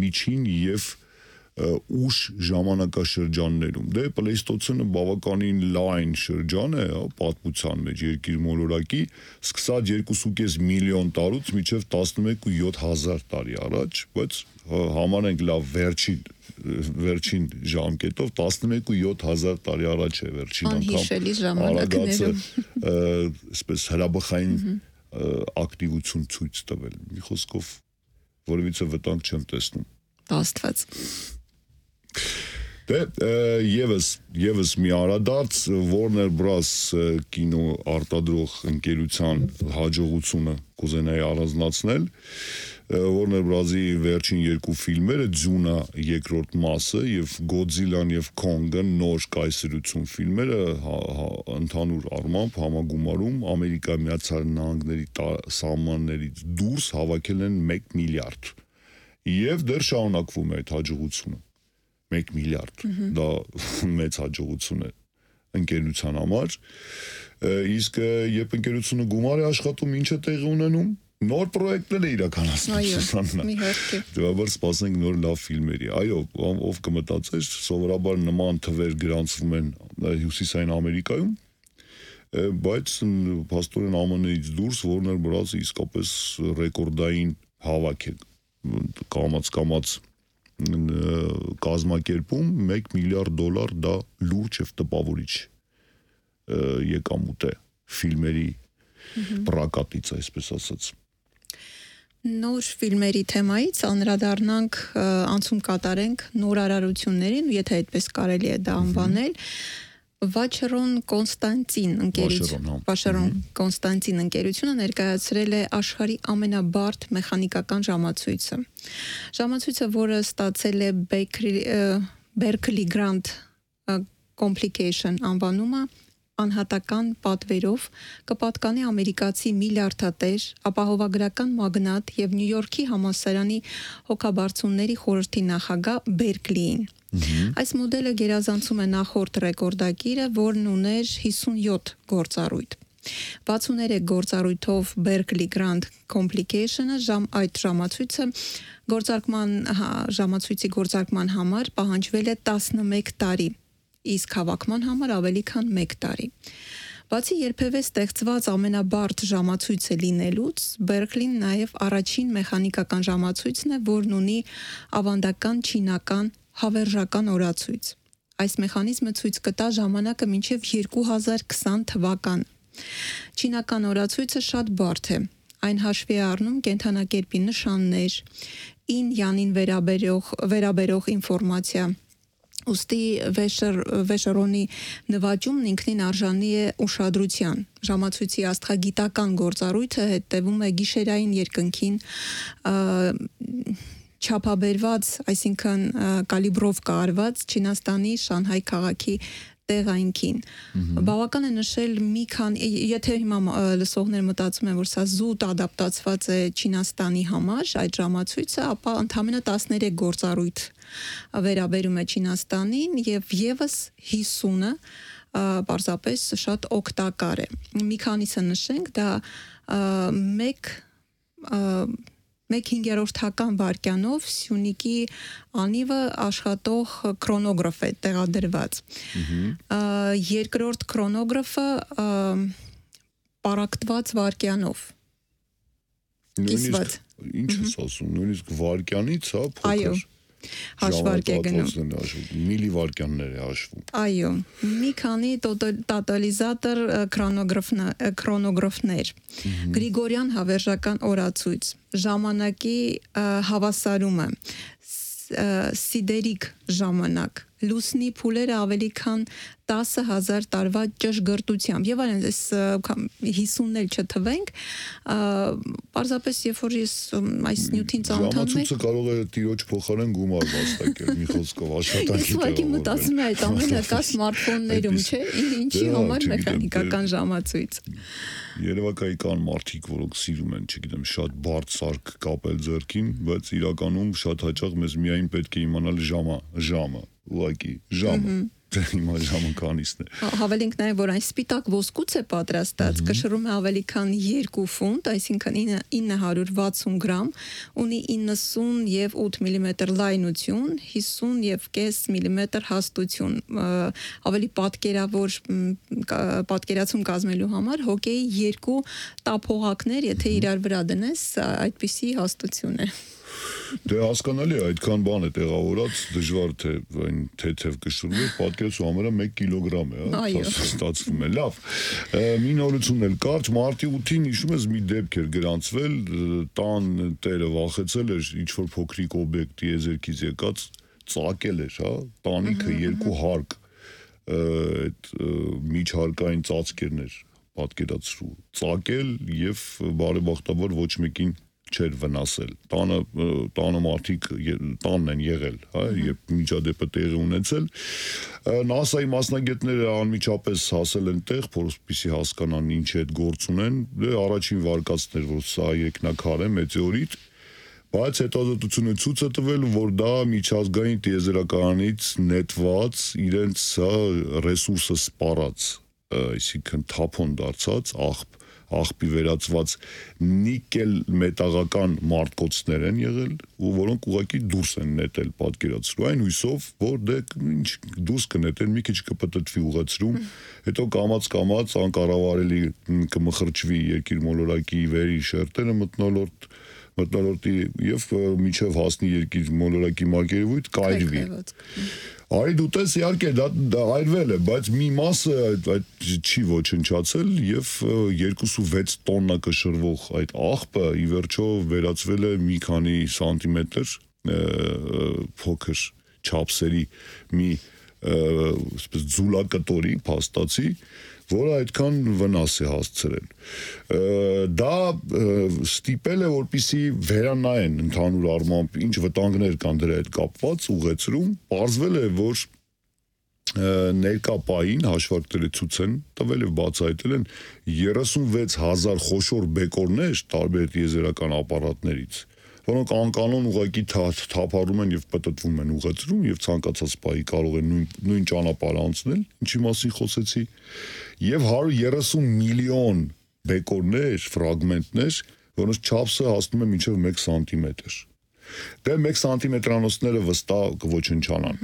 միջին եւ ուշ ժամանակաշրջաններում։ Դե պլեյստոցենը բավականին լայն շրջան է պատմության մեջ երկիր մոլորակի, սկսած 2.5 միլիոն տարուց մինչև 11.7 տարի առաջ, բայց համարենք լավ վերջին ժամկետով 11.7 տարի առաջ է վերջին Անհիշելի ժամանակներում այսպես հրաբխային ակտիվություն ցույց տվել։ Մի խոսքով որևիցե վտանգ չեմ տեսնում։ Աստված։ Դե եւս մի արադարձ Warner Bros կինո արտադրող ընկերության հաջողությունը կուզենայի առանձնացնել։ Warner Bros-ի վերջին երկու ֆիլմերը Ձյունա երկրորդ մասը եւ Godzilla-ն եւ Kong-ը նոր կայսրություն ֆիլմերը ընդհանուր առմամբ համագումարում Ամերիկայի Միացյալ Նահանգների սահմաններից դուրս հավաքել են 1 միլիարդ եւ դեռ շարունակվում է այդ հաջողությունը 1 միլիարդ դա մեծ հաջողություն է ընկերության համար իսկ երբ ընկերությունը գումար է աշխատում ինչ է տեղի ունենում նոր պրոյեկտներ է իրականացնում մի հերթի դեպի սպասենք նոր լավ ֆիլմերի այո ով կմտածեր սովորաբար նման թվեր գրանցվում են հյուսիսային Ամերիկայում բայց փաստորեն ԱՄՆ-ից դուրս Warner Bros-ը իսկապես ռեկորդային հավաք է կամաց կազմակերպում 1 միլիարդ դոլար դա լուրջ եւ տպավորիչ եկամուտ է ֆիլմերի պրակատից այսպես ասած Նոր ֆիլմերի թեմայից անդրադառնանք անցում կատարենք նորարարություններին եթե այդպես կարելի է դա անվանել Վաչերոն Կոնստանտին ընկերությունը ներկայացրել է աշխարհի ամենաբարդ մեխանիկական ժամացույցը։ Ժամացույցը, որը ստացել է Berkeley Grant Complication անվանումը, անհատական պատվերով կպատկանի ամերիկացի միլիարդատեր, ապահովագրական մագնատ եւ Նյու Յորքի համալսարանի հոգաբարձունների խորհրդի նախագահ Բերկլիին։ Այս մոդելը գերազանցում է նախորդ ռեկորդակիրը, որն ուներ 57 գործառույթ։ 63 գործառույթով Berkeley Grant Complication-ը այդ ժամացույցի գործարկման համար պահանջվել է 11 տարի, իսկ հավաքման համար ավելի քան 1 տարի։ Բացի երբևէ ստեղծված ամենաբարդ ժամացույցը լինելուց, Berkeley-ն նաև առաջին մեխանիկական ժամացույցն է, որն ունի ավանդական չինական հավերժական օրացույց։ Այս մեխանիզմը ցույց կտա ժամանակը մինչև 2020 թվական։ Չինական օրացույցը շատ բարդ է։ Այն հաշվի է առնում կենդանակերպի նշաններ, ին-յանին վերաբերող ինֆորմացիա։ Ուստի Վեշերոնի նվաճումն ինքնին արժանի է ուշադրության։ Ժամացույցի աստղագիտական գործառույթը հետևում է գիշերային երկնքին չափաբերված, այսինքն կալիբրով կարված Չինաստանի Շանհայ քաղաքի տեղայինքին։ Բավական է նշել մի քանի, եթե հիմա լսողները մտածում են, որ սա զուտ ադապտացված է Չինաստանի համար, այդ ժամացույցը, ապա ընդամենը 13 գործառույթ վերաբերում է Չինաստանին եւ եւս 50-ը պարզապես շատ օգտակար է։ Մի քանիսը նշենք, դա 1/5 վայրկյանով Սյունիքի անիվը աշխատող քրոնոգրաֆ է տեղադրված։ Երկրորդ քրոնոգրաֆը պարակտված վայրկյանով։ Նույնիսկ ինչ ես ասում, նույնիսկ վայրկյանից, հա, փոքր։ Հաշվարկ է գնում։ Միլիվայրկյաններ է հաշվում։ Այո, մի քանի տոտալիզատոր քրոնոգրաֆներ, Գրիգորյան հավերժական օրացույց, ժամանակի հավասարումը, սիդերիկ ժամանակ, լուսնի փուլերը ավելի քան 10,000 տարվա ճշգրտությամբ եւ այլն, այս 50-ն էլ չթվենք, պարզապես երբ որ ես այս նյութին ծանոթանում եմ, ժամացույցը կարող է տիրոջ փոխարեն գումար վաստակել, մի խոսքով աշխատանքի ուղղակի մտածում եմ այդ ամենը կա սմարթֆոններում, չէ՞, ինչի համար մեխանիկական ժամացույց։ Երևակայի կան մարդիկ, որոնք սիրում են, չգիտեմ, շատ բարդ սարք կապել ձեռքին, բայց իրականում շատ հաճախ մեզ միայն պետք է իմանալ ժամը, ուղղակի ժամը։ Հիմա ժամը քանիսն է։ Հավելենք նաև, որ այն սպիտակ ոսկուց է պատրաստած, կշռում է ավելի քան 2 ֆունտ, այսինքն 960 գրամ, ունի 90 եւ 8 մմ լայնություն, 50.5 մմ հաստություն, ավելի պատկերացում կազմելու համար հոկեյի 2 տափողակներ, եթե իրար վրա դնես, այդպիսի հաստություն է։ Դե հասկանալի է, այդքան բան է տեղավորած, դժվար թե այն թեթև կշռում է, պատկերացու համարը 1 կիլոգրամ է, ստացվում է, լավ։ Մի նորություն էլ կարճ, մարտի 8-ին հիշում ես մի դեպք էր գրանցվել, տան տերը վախեցել էր ինչ-որ փոքրիկ օբյեկտ տիեզերքից եկած, ծակել էր, հա, տանիքը 2 հարկ, այդ միջհարկային ծածկերն էր պատկերացրու, ծակել եւ բարեբախտաբար ոչ մեկին չէր վնասել։ Տանը մարդիկ տանն են եղել, հա, երբ միջադեպը տեղի ունեցել։ NASA-ի մասնագետները անմիջապես հասել են տեղ, որպեսզի հասկանան ինչ է այդ գործ ունեն։ Դե առաջին վարկածն էր, որ սա երկնակար է մետեորիտ, բայց հետազոտությունը ցույց է տվել, որ դա միջազգային տիեզերականից նետված իրենց ռեսուրսը սպառած, այսինքն թափոն դարձած աղբի վերածված նիկել մետաղական մարտկոցներ են եղել, որոնք ուղղակի դուրս են նետել պատկերացրու, այն հույսով, որ դե ինչ դուրս կնետեն, մի քիչ կպտտվի ուղղացրում, հետո կամաց անկառավարելի կմխրճվի երկիր մոլորակի վերի շերտերը մթնոլորտի եւ միջև հասնի երկիր մոլորակի մակերևույթ կայրվի։ Արի դու տես իհարկե դա այրվել է, բայց մի մասը այդ չի ոչնչացել եւ 2.6 տոննա կշռվող այդ աղբը ի վերջո վերածվել է մի քանի սանտիմետր փոքր չափսերի մի ձուլակտորի փաստացի, որը այդքան վնաս է հասցրել։ Դա ստիպել է, որպեսզի վերանայեն ընդհանուր առմամբ ինչ վտանգներ կան դրա հետ կապված ուղեցրում, պարզվել է, որ ներկա պահին հաշվարկները ցույց են տվել եւ բացահայտել են 36,000 խոշոր բեկորներ տարբեր տիեզերական ապարատներից, որոնք անկանոն ուղղակի թափառում են եւ պտտվում են ուղեցրում եւ ցանկացած պահի կարող են նույն ճանապարհ անցնել, ինչի մասին խոսեցի, եւ 130 միլիոն բեկորներ, ֆրագմենտներ, որոնց չափսը հասնում է մինչև 1 սանտիմետր։ Դե 1 սանտիմետրանոցները վստահ կոչնչանան։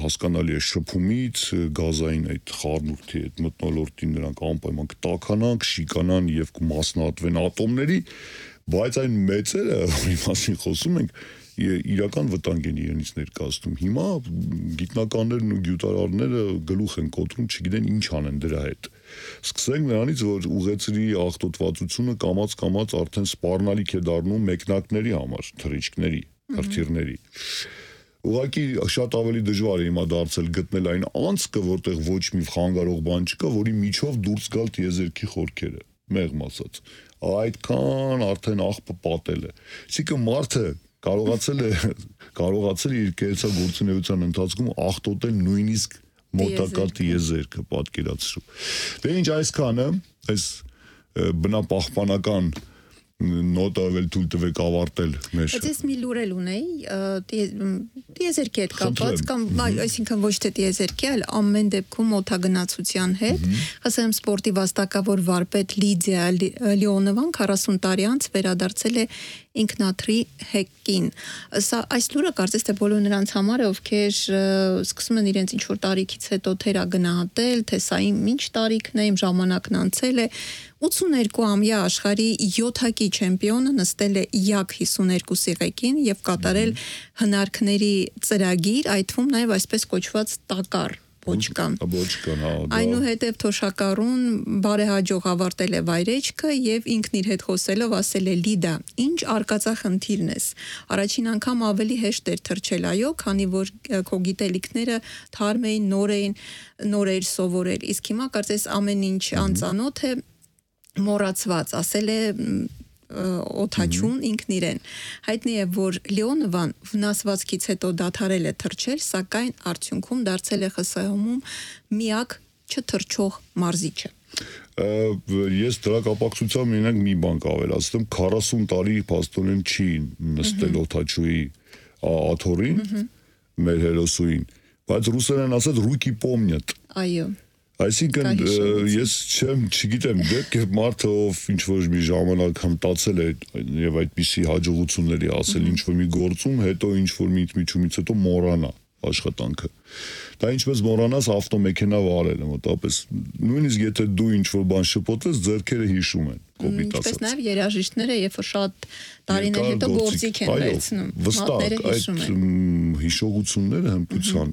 Հասկանալի է շփումից, գազային այդ խառնուրդի այդ մթնոլորտին նրանք անպայման կտաքանան, կշիկանան եւ կմասնատվեն ատոմների, բայց այն մեծերը, որի մասին խոսում ենք, իրական վտանգ են իրենից ներկայացնում։ Հիմա գիտնականներն ու գյուտարարները գլուխ են կոտրում, չգիտեն ինչ անեն դրա հետ։ Սկսենք նրանից, որ ուղեցրի աղտոտվածությունը կամաց արդեն սպառնալիք է դառնում մեկնակների համար, թռիչքների, հրթիռների։ Ուղղակի շատ ավելի դժվար է հիմա դարձել գտնել այն անցքը, որտեղ ոչ մի խանգարող բան չկա, որի միջով դուրս գալ տիեզերքի խորքերը, մեղմ ասած։ Այդքան արդեն աղբը պատել է։ Այսինքն մարդը կարողացել է իր կերծագործունեության ընթացքում աղտոտել նույնիսկ մոտակա տիեզերքը պատկերացրու։ Դե ինչ այսքանը, այս բնապահպանական նոտավել թույլ տվեք ավարտել մեր։ Բայց ես մի լուր էլ ունեի, տիեզերքի հետ կապված, կամ այսինքն ոչ թե տիեզերքի, այլ ամեն դեպքում օդագնացության հետ։ Ասեմ սպորտի վաստակավոր վարպետ Լիդիա Լեոնովան 40 տարի անց վերադարձել է ինքնաթրի հեկին։ Սա այս լուրը կարծես թե բոլոր նրանց համար է, ովքեր սկսում են իրենց ինչ-որ տարիքից հետո թերա գնահատել, թե սա իմ ինչ տարիքն է, իմ ժամանակն անցել է։ 82-ամյա աշխարհի 7-հակի չեմպիոնը նստել է յակ 52-ի ղեկին եւ կատարել հնարքների ծրագիր, այդ թվում նաեւ այսպես կոչված տակառ Բոչկան, հա։ Այնուհետև թոշակառուն բարեհաջող ավարտել է վայրեջքը եւ ինքն իր հետ խոսելով ասել է Լիդա, ինչ արկածախնդիրն ես։ Առաջին անգամ ավելի հեշտ էր թռչել, այո, քանի որ քո գիտելիքները թարմ էին, նոր էր սովորել։ Իսկ հիմա կարծես ամեն ինչ անծանոթ է, մոռացված, ասել է օթաչուն ինքն իրեն։ Հայտնի է, որ Լեոնովան վնասվածքից հետո դադարել է թռչել, սակայն արդյունքում դարձել է ԽՍՀՄ-ում միակ չթռչող մարզիչը։ Ես դրա կապակցությամբ մենակ մի բան կավելացնեմ, 40 տարի փաստորեն չի նստել օթաչուի աթոռին, մեր հերոսուին, բայց ռուսերեն ասած «руки помнят»։ Այո։ Այսինքն ես չգիտեմ, դեպք է մարդը ով ինչ-որ մի ժամանակ հմտացել է եւ այդպիսի հաջողությունների ասել ինչ-որ մի գործում, հետո ինչ-որ մի միջումից հետո մոռանա աշխատանքը։ Դա ինչպես մոռանաս ավտոմեքենա վարելը, մոտավորապես նույնիսկ եթե դու ինչ-որ բան շփոթես, ձեռքերը հիշում են, կոպիտ ասած։ Ինչպես նաև երաժիշտները, երբ որ շատ տարիներ հետո գործիք են վերցնում, մատները հիշում են։ Հիշողությունները հմտության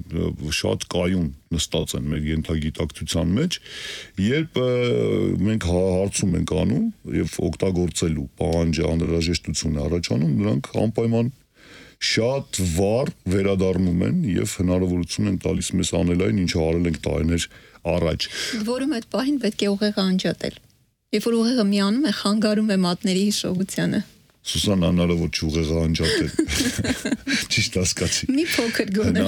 շատ կայուն նստած են մեր ենթագիտակցության մեջ, երբ մենք հարցում ենք անում եւ օգտագործելու պահանջը անհրաժեշտություն է առաջանում, նրանք անպայման շատ վառ վերադառնում են եւ հնարավորություն են տալիս մեզ անել այն, ինչը արել ենք տարիներ առաջ։ Որում այդ պահին պետք է ուղեղը անջատել։ Երբ որ ուղեղը միանում է, խանգարում է մատների հիշողությանը։ Սուսան հնարավոր չէ ուղեղը անջատել։ Ճիշտ հասկացի։ Մի փոքր գոնե։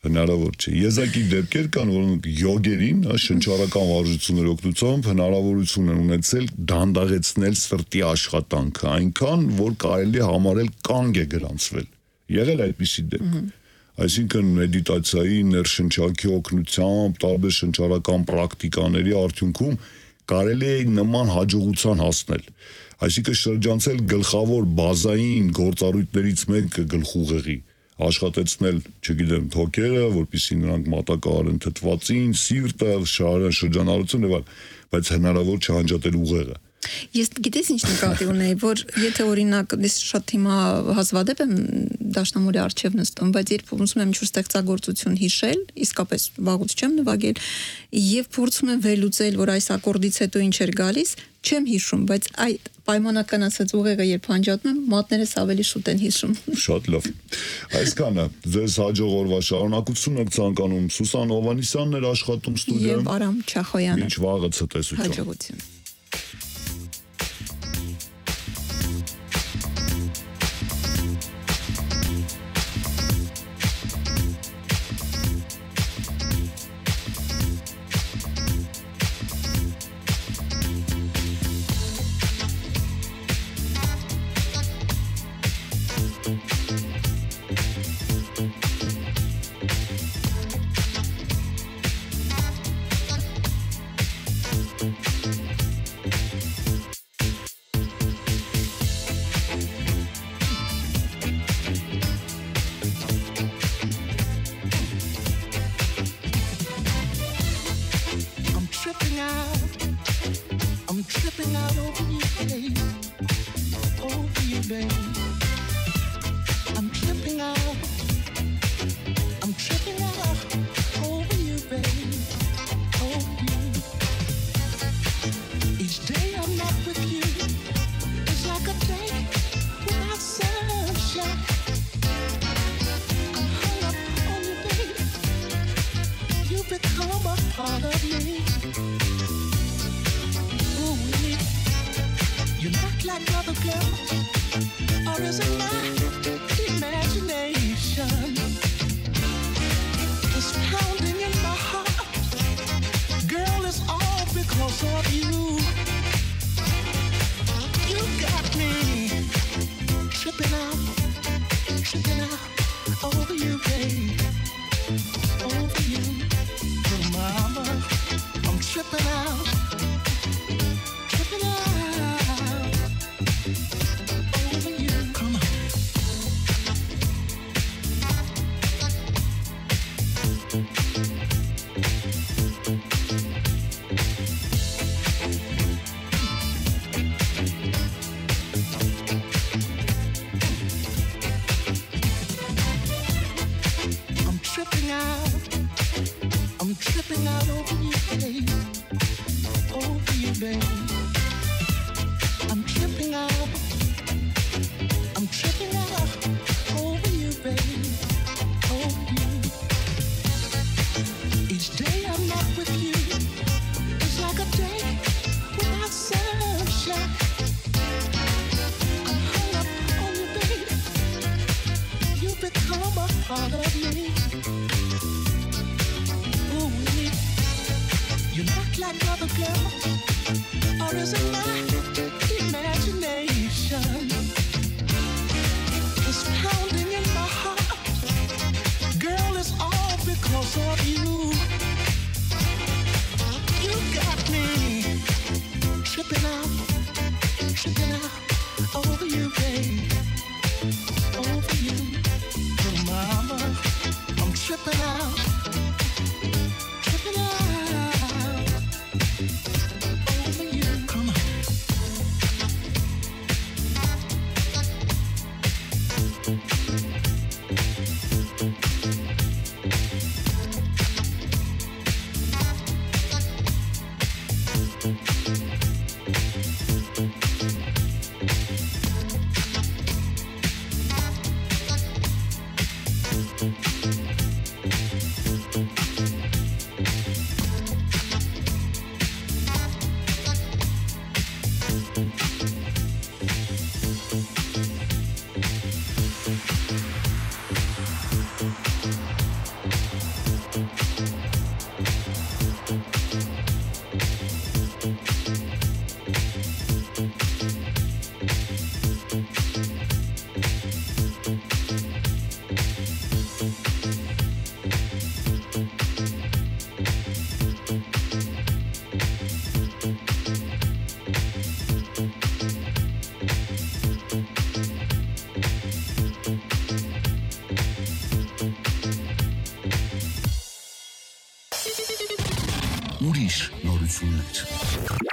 Հնարավոր չէ։ Եզակի դեպքեր կան, որոնք յոգերին, շնչառական վարժությունների օգնությամբ հնարավորություն են ունեցել դանդաղեցնել սրտի աշխատանքը, այնքան, որ կարելի է համարել կանգ է գրանցվել։ Եղել այդպիսի դեպք։ Այսինքն մեդիտացիայի, ներշնչակի օգնությամբ, տարբեր շնչառական պրակտիկաների արդյունքում կարելի է նման հաջողության հասնել։ Այսինքն շրջանցել գլխավոր բազային գործառույթներից մեկը գլխուղեղի, աշխատեցնել, չգիտեմ, թոքերը, որպեսզի նրանք մատակարարեն թթվածին, սիրտը, շրջանառությունը եւ այլն, բայց հնարավոր չէ անջատել ուղեղը։ Ես գիտես ինչ նկատի ունեի, որ եթե օրինակ ես շատ հիմա հազվադեպ եմ դաշնամուրի առջև նստում, բայց երբ ուզում եմ ինչ-որ ստեղծագործություն հիշել, իսկապես վաղուց չեմ նվագել, եւ փորձում եմ վերլուծել, որ այս ակորդից հետո ինչ էր գալիս, չեմ հիշում, բայց այդ պայմանական ասած ուղեղը երբ անջատում եմ, մատներս ավելի շուտ են հիշում։ Շատ լավ։ Այսքանը ձեզ հաջող օրվա շարունակություն եք ցանկանում։ Սուսան Հովհաննիսյանն էր աշխատում ստուդիայում։ Եվ Արամ Չախոյանը։ Մինչ վաղը ցտեսություն։ Հաջողություն։ I'm tripping out over you, babe. Over you, babe. I'm tripping out. I'm tripping out over you, babe. Over you. Each day I'm not with you. It's like a day without sunshine. I'm hung up on you, babe. You become a part of me. You're not like other girls, or is it my imagination? It's pounding in my heart. Girl, it's all because of you. You got me tripping out over you, babe. Over you, little mama. I'm tripping out. I'm tripping out over you, babe. Over you, babe. I'm tripping out. I'm tripping out over you, babe. Over you. Each day I'm not with you. It's like a day without sunshine. I'm hung up on you, babe. You become a part of me. You're not like other girls. is in my imagination. It's pounding in my heart. Girl, it's all because of you. You got me tripping out over you, babe. Over you, little mama. I'm tripping out over you. Come on. Ուրիշ նորություններ։